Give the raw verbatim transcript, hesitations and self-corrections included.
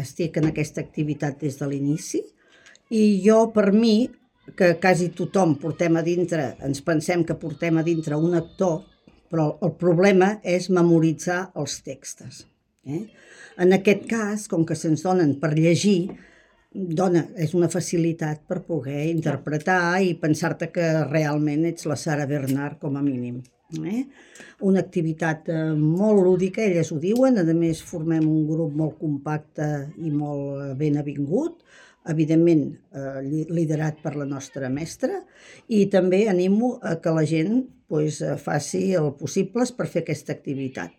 estic en aquesta activitat des de l'inici i jo, per mi, que quasi tothom portem a dintre, ens pensem que portem a dintre un actor, però el problema és memoritzar els textos. Eh? En aquest cas, com que se'ns donen per llegir, dona, és una facilitat per poder interpretar i pensar-te que realment ets la Sarah Bernhardt com a mínim. Eh? Una activitat eh, molt lúdica, elles ho diuen, a més formem un grup molt compacte i molt ben avingut, evidentment eh, liderat per la nostra mestra, i també animo a que la gent pues, faci el possible per fer aquesta activitat.